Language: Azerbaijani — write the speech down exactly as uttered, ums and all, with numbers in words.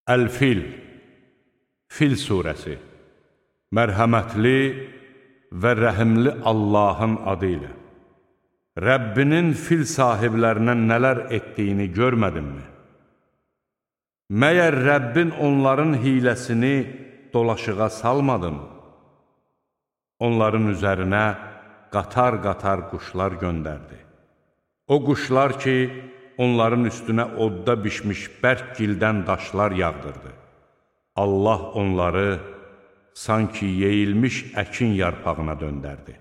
Əl-Fil, Fil surəsi, mərhəmətli və rəhimli Allahın adı ilə. Rəbbinin fil sahiblərinə nələr etdiyini görmədinmi? Məyər Rəbbin onların hiləsini dolaşığa salmadın? Onların üzərinə qatar-qatar quşlar göndərdi. O quşlar ki, onların üstünə odda bişmiş bərk gildən daşlar yağdırdı. Allah onları sanki yeyilmiş əkin yarpağına döndərdi.